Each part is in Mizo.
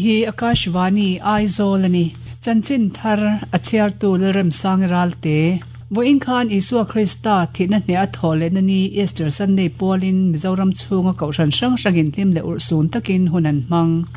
Hei hi Akashvani, Aizawl a ni. Chanchin thar a chhiartu Lalremsangi Ralte. Vawiin khan Isua Krista thihna hneh a thawh lehna ni Easter Sunday pualin Mizoram chhunga kohhran hrang hrangin hlim leh urhsun takin hun an hmang.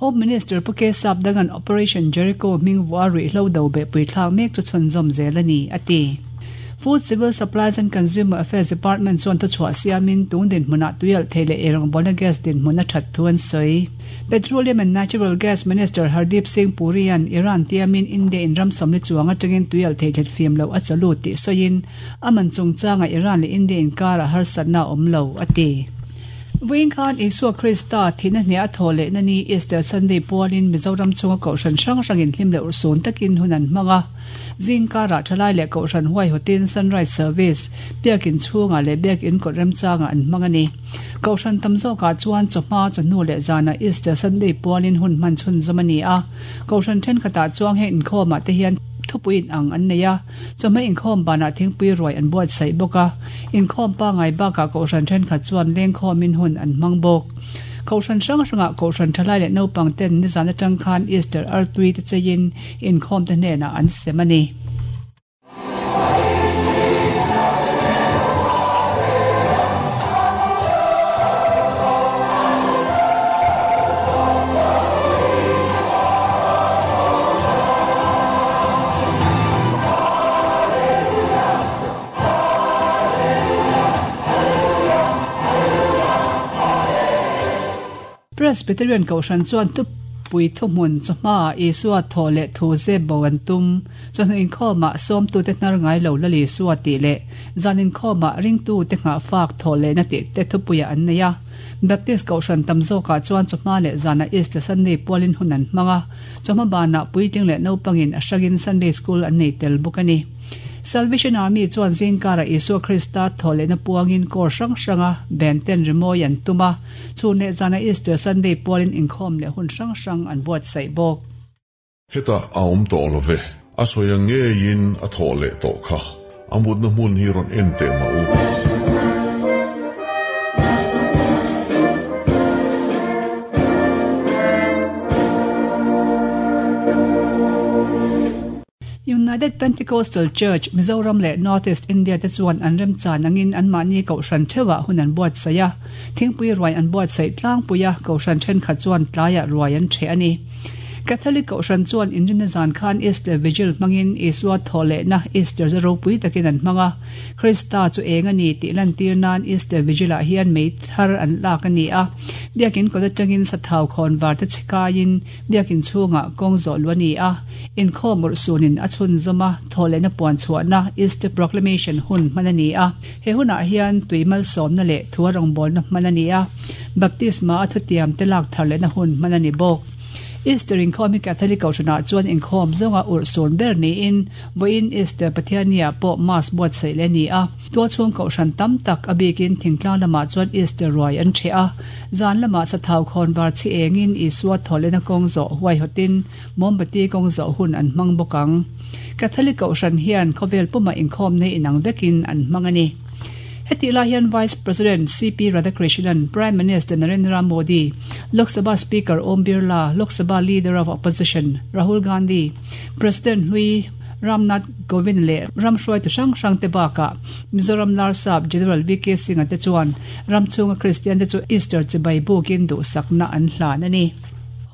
Home Minister Pu K Sapdanga'n Operation Jericho hming vuah ruihhlo do behpui thlak mek chu chhunzawm zel a ni, a ti. Food, Civil Supplies and Consumer Affairs Department chuan thuchhuah siamin tung dinhmunah tuialh thei leh eirawngbawlna gas dinhmun a that thu an sawi. Petroleum and Natural Gas Minister Hardeep Singh Puri-a'n Iran tiamin India in ram sawmli chuang atangin tuialh thei thlet fim loh a chaw lut tih sawiin a man chungchangah Iran leh India inkarah harsatna a awm lo, a ti. Vawiin khan Isua Krista thihna hneh a thawh lehna ni Easter Sunday pualin Mizoram chhunga kohhran hrang hrangin hlim leh urhsun takin hun an hmang a. Zingkarah thalai leh kohhran huaihawtin Sunrise Service, Biakin chhungah leh Biakin kawt remchangah an hmang a ni. Kohhran tam zawkah chuan chawhma, chawhnu leh zanah Easter Sunday pualin hun hman chhunzawm a ni a. Kohhran thenkhatah chuang heng inkhawmah te hian thupui inang an nei a, chawhma inkhawm banah thingpui ruai an buatsaih bawk a. Inkhawm pangngai bakah kohhran thenkhat chuan lengkhawmin hun an hmang bawk. Kohhran hrang hrangah kohhran thalai leh naupang ten nizan atang khan Easter artui te cheiin inkhawm te hnenah an sem a ni. Presbyterian Kohhran chuan tupui thuhmun chawhmaah Isua thawh leh thu zep bo an tum. Chawhnu inkhawmah sawmtute hnar ngai lo Lal Isua tih leh zan inkhawmah ringtute nghahfak thawh lehna tih te thupuiah an nei a. Baptist Kohhran tam zawkah chuan chawhma leh zanah Easter Sunday pualin hun an hmang a. Chawhma banah puitling leh naupangin a hrangin Sunday School an nei tel bawk a ni. Salvation Army chuan zingkarah Isua Krista thawh lehna puangin kawr hrang hranga ben ten rimawi an tum a, chhun leh zanah Easter Sunday pualin inkhawm leh hun hrang hrang an buatsaih bawk. Hetah a awm tawh lo ve. A sawi ang ngeiin a thawh leh tawh kha. A mutna hmun hi rawn en teh mah u. United Pentecostal Church, Mizoram leh North East India te chuan an remchan angin anmahni kohhran theuhah hun an buatsaih a, thingpui ruai an buatsaih tlangpui a, kohhran thenkhat chuan tlaiah ruai an ṭheh a ni. Catholic kohhran chuan inrinna zan khan Easter Vigil hmangin Isua thawhlehna Easter za ropui takin an hmang a, Krista chu eng a ni tih lantir nan Easter Vigil-ah hian mei thar an lak a ni a, biakin kawt atangin sathau khawnvar te chhikaiin Biakin chhungah kawng zawh luh a ni a, inkhawm urhsunin a chhunzawm a, thawhlehna puan chhuahna, Easter Proclamation, hun hman a ni a. He hunah hian tui malsawmna leh thua rawngbawlna hman a ni a, baptisma a thutiam te lak thar lehna hun hman a ni bawk. Easter inkhawm hi Catholic Kohhranah chuan inkhawm zawnga urhsun ber niin, vawiin Easter Pathianniah pawh Mass buatsaih leh a ni a. Tualchhung kohhran tam tak a bikin thingtlang lamah chuan Easter ruai an ṭheh a. Zan lamah sathau khawnvar chhi engin Isua thawhlehna kawng zawh huaihawtin mawmbati kawng zawh hun an hmang bawk ang. Catholic kohhran hian khawvel pumah inkhawmna inang vekin an hmang a ni. Hetih lai hian Vice President CP Radhakrishnan, Prime Minister Narendra Modi, Lok Sabha Speaker Om Birla, Lok Sabha Leader of Opposition Rahul Gandhi, President hlui Ramnath Kovind leh ram hruaitu hrang hrang te bakah Mizoram Larsap General VK Singh-a te chuan ram chhunga Kristian te chu Easter chibai bukin duhsakna an hlan a ni.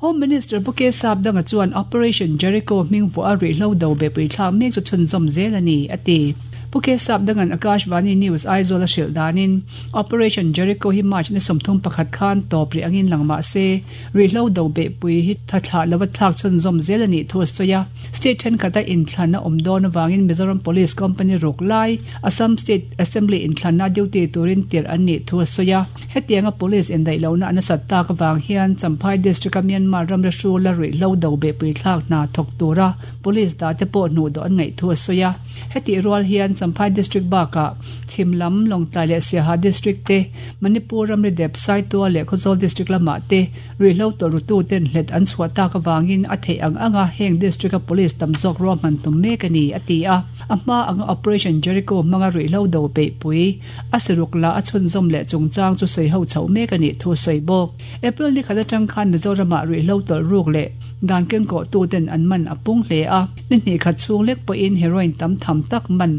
Home Minister Pu K Sapdanga chuan Operation Jericho hming vuah a rihlo do behpui thlak mek chu chhunzawm zel a ni, a ti. Pu K Sapdanga'n Akashvani News Aizawl a hrilh danin Operation Jericho hi March ni 31 khan tawp rih angin lang mah se, Rihlo do behpui hi tha thlah lova thlak chhunzawm zel a nih thu a sawi a. State thenkhat a inthlan a awm dawn avangin Mizoram Police Company ruk lai Assam State Assembly inthlanna duty turin tirh an nih thu a sawi a. Hetianga Police indaih lohna a nasat tak avang hian Champhai District-a Myanmar ramri hrula rihlo do behpui thlak hna thawk tura Police dahte pawh hnuhdawh an ngaih thu a sawi a. Hetih rual hian. Champhai District bakah chhim lam Lawngtlai leh Siaha District te, Manipur ramri dep Saitual leh Khawzawl District lamah te ruihhlo tawlh rututen hlet an chhuah tak avangin a theih ang anga heng District-a Police tam zawk ruahman tum mek a ni, a ti a. A hma anga Operation Jericho hmanga ruihhlo do peihpui a siruk lah a chhunzawm leh chungchang chu sawi ho chhoh mek a nih thu a sawi bawk. April ni khat atang khan Mizoramah ruihhlo tawlh ruk leh dan kengkawhtuten an man a pung hle a, ni hnih khat chhung lek pawhin heroin tam tham tak man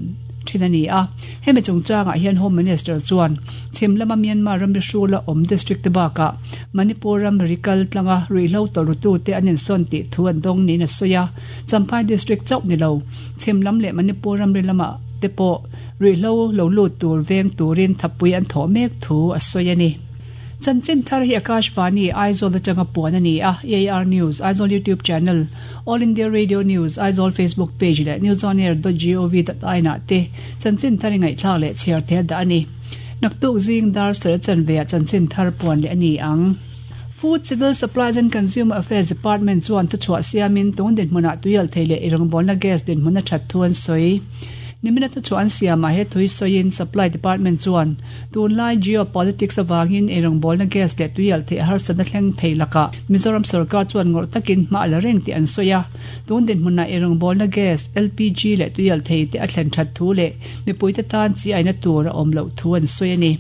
thin a ni a. Hemi chungchangah hian Home Minister chuan chhim lama Myanmar ramri hrula awm district te bakah Manipur ramri kal tlanga ruihhlo tawlh rutute an insawn tih thu an dawng niin a sawi a. Champhai district chauh ni lo, chhim lam leh Manipur ramri lamah te pawh ruihhlo lo lut tur veng turin thapui an thawh mek thu a sawi a ni. Chanchin thar hi Akashvani, Aizawl atanga puan a ni a, AIR News, Aizawl YouTube Channel, All India Radio News, Aizawl Facebook Page leh newsonair dot gov dot in ah te chanchin thar i ngaihthlak leh chhiar thei a dah a ni. Naktuk zing dar sel chanve ah chanchin thar puan leh a ni ang. Food, Civil Supplies and Consumer Affairs Department chuan thuchhuah siamin tun dinhmunah tuialthei leh irawngbawlna gas dinhmun a that thu an sawi. Nimina thuchhuah an siamah he thui sawiin Supply Department chuan Tunlai geopolitics avangin eirawngbawlna gas leh tuialh theih harsatna thleng thei lakah Mizoram sorkar chuan ngawrh takin hma a la reng tih an sawi a. Tun dinhmunah eirawngbawlna gas, LPG, leh tuialh thei te a thlen that thu leh mipuite tan chi aina tur a awm loh thu an sawi a ni.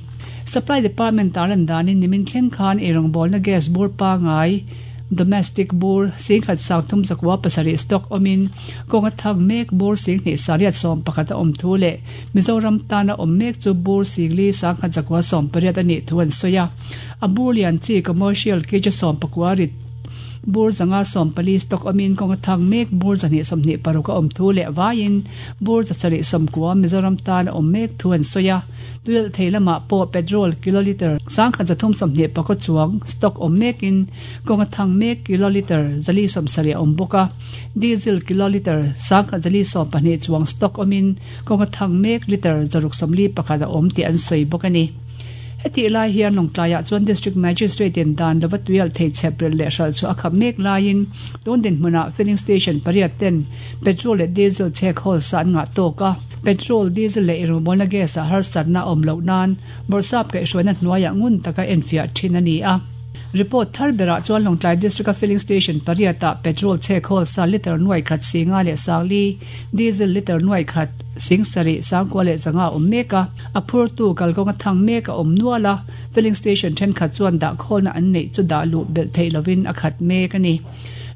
Supply Department tarlan danin nimin thleng khan eirawngbawlna gas bur pangai, Domestic bur singkhat sangthum zakua pasarih stock awmin kawnga thang mek bur singhnih sariat sawm pakhat a awm thu leh Mizoram tana awm mek chu bur singli sangkhat zakua sawm pariat a nih thu an sawi a. A bur lian chi commercial kg sawm pakua rit bur zanga 14 stock awmin kawnga thang mek bur zahnih 26 a awm thu leh vaiin bur zasarih sawmkua Mizoram tana awm mek thu an sawi a. Tuilh thei lamah pawh petrol kilolitre 1324 chuang stock awm mekin kawnga thang mek kilolitre 470 a awm bawk a, diesel kilolitre 1412 chuang stock awmin kawnga thang mek litre 641 a awm tih an sawi bawk a ni. Hetih lai hian Lawngtlaiah chuan District Magistrate in dan lova tuialh thei chhep relh leh hralh chu a khap mek laiin tun dinhmunah filling station pariat ten petrol leh diesel chhek hawl sa an ngah tawk a. Petrol, diesel leh irumawlna gas ah harsatna a awm loh nan bawrhsap kaihhruaina hnuaiah ngun taka enfiah thin a ni a. Report thar berah chuan Lawngtlai District-a filling station pariat ah petrol chhek hawl sa litre nuai khat singa leh sangli, diesel litre nuai khat sing sarih sangkua leh zanga a awm mek a, a phurtu kalkawnga thang mek a awm nual a, filling station thenkhat chuan dah khawlna an neih chu dah luh belh theih lovin a khat mek a ni.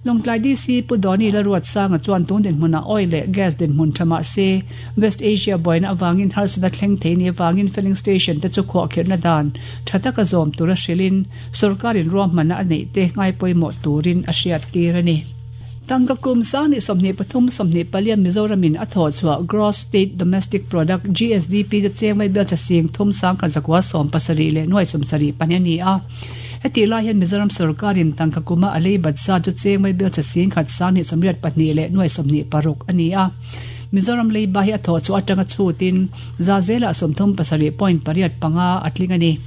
Lawngtlai DC Pu Dawni Lalruatsanga chuan tun dinhmunah oil leh gas dinhmun tha mah se, West Asia buaina avangin harsatna thleng thei ni avangin filling station te chu khuahkhirhna dan tha taka zawm tura hrilhin sorkarin ruahmanna a neih te ngaipawimawh turin a hriattir a ni. Tangka kum sang 23 24 Mizoramin a thawhchhuah Gross State Domestic Product, GSDP, chu cheng mai belcha sing thum sangkhat zakua sawm pasarih leh nuai sawmsarih pahnih a ni a. Hetih lai hian Mizoram sorkarin tangka kuma a lei bat zat chu cheng mai belcha sing khat 1082 leh nuai 26 a ni a. Mizoram leiba hi a thawh chhuah atanga chhutin za zelah 37.85 a tling a ni.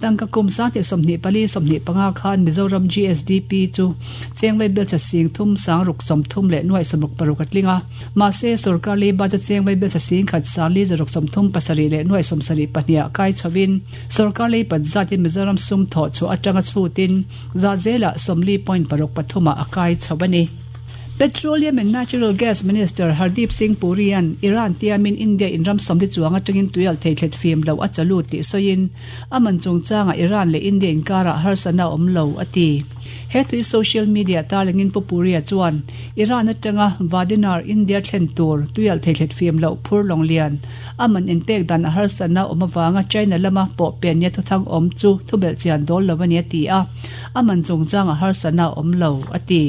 Tangka kum 1024 25 khan Mizoram GSDP chu cheng vai belcha sing thum sang ruk 30 leh nuai 66 a tling a. Mahse, sorkar leiba chu cheng vai belcha sing khat sang li zaruk 37 leh nuai 72 ah kai chhovin sorkar lei pat zatin Mizoram sum thawh chhuah atanga chhutin za zelah 40.63 ah a kai chho a ni. Petroleum and Natural Gas Minister Hardeep Singh Puri-a'n Iran tiamin India in ram sawmli chuang atangin tuialh thei thlet fim lo a chalu tih sawiin a man chungchangah Iran leh India inkarah harsatna a awm lo a ti. He tui social media tarlangin Pu Puri-a chuan Iran atanga Vadinar India thlen tur tuialh thei thlet fim loh phur lawng lian a man inpek dan a harsatna awm avanga China lama pawh pen nia thuthang awm chu thubelh chian dawl lo a ni a ti a, a man chungchangah harsatna a awm lo a ti.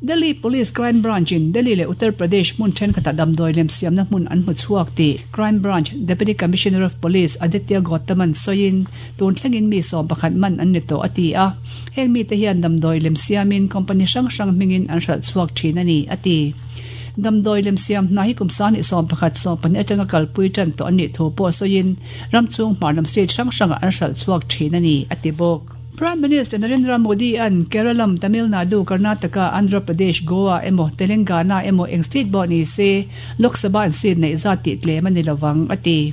Delhi Police Crime Branch in Delhi leh Uttar Pradesh hmun thenkhatah damdawi lem siamna hmun an hmu chhuak tih Crime Branch Deputy Commissioner of Police Aditya Gautam-a'n sawiin tun thlengin mi sawm pakhat man an ni tawh a ti a. Heng mite hian damdawi lem siamin company hrang hrang hmingin an hralh chhuak thin a ni, a ti. Damdawi lem siam hna hi kum 2011 12 atanga kalpui tan tawh an nih thu pawh sawiin ram chhung hmarlam state hrang hrangah an hralh chhuak thin a ni, a ti bawk. Prime Minister Narendra Modi an Keralam, Tamil Nadu, Karnataka, Andhra Pradesh, Goa emaw Telangana emaw eng state pawh ni se Lok Sabha an seat neih zat tih tlem a ni lovang, a ti.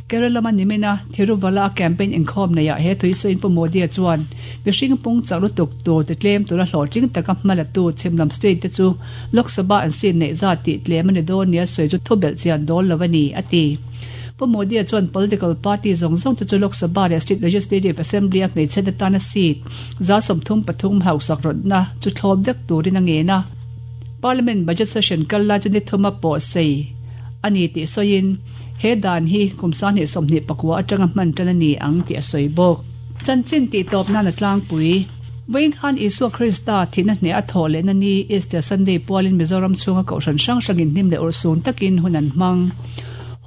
Keralama nimina Thiruvala campaign inkhawm neihah he tui sawiin Pu Modi-a chuan mihring pung chak lutuk tur ti tlem tura hlawhtling taka hma latu chhimlam state te chu Lok Sabha an seat neih zat tih tlem a ni dawn nia sawi chu thubelh chian dawl lo a ni, a ti. Pu Modi-a chuan political party zawng zawng te chu Lok Sabha leh State Legislative Assembly-a hmeichhe te tana seat 33 hausak rawtna chu thlawp vek turin a ngen a. Parliament budget session kal lai chu ni thuma pawh sei a ni tih sawiin he dan hi kum 2024 atanga hman tan a ni ang tih a sawi bawk. Chanchin tih tawp nan a tlangpui. Vawiin khan Isua Krista thihna hneh a thawh lehna ni Easter Sunday pualin Mizoram chhunga kohhran hrang hrangin hnim leh urhsun takin hun an hmang.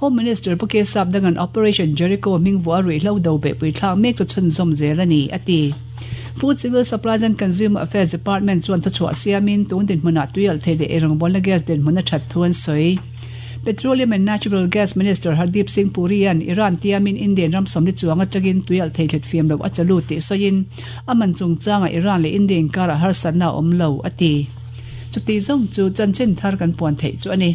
Home Minister Pu Kesap Dangan Operation Jericho hming vuah ruihhlo do beihpui thlak mek chu chhunzawm zel a ni, a ti. Food Civil Supplies and Consumer Affairs Department chuan thuchhuah siamin tun dinhmunah tuialhthei leh eirawngbawlna gas dinhmun a that thu an sawi. Petroleum and Natural Gas Minister Hardeep Singh Puri-a'n Iran tiamin Indian ram sawmli chuang atangin tuialhthei thletfiam loh a chalu tih sawiin a man chungchangah Iran leh India inkarah harsatna a awm lo, a ti. Chuti zawng chu chanchin thar kan puan theih chu a ni.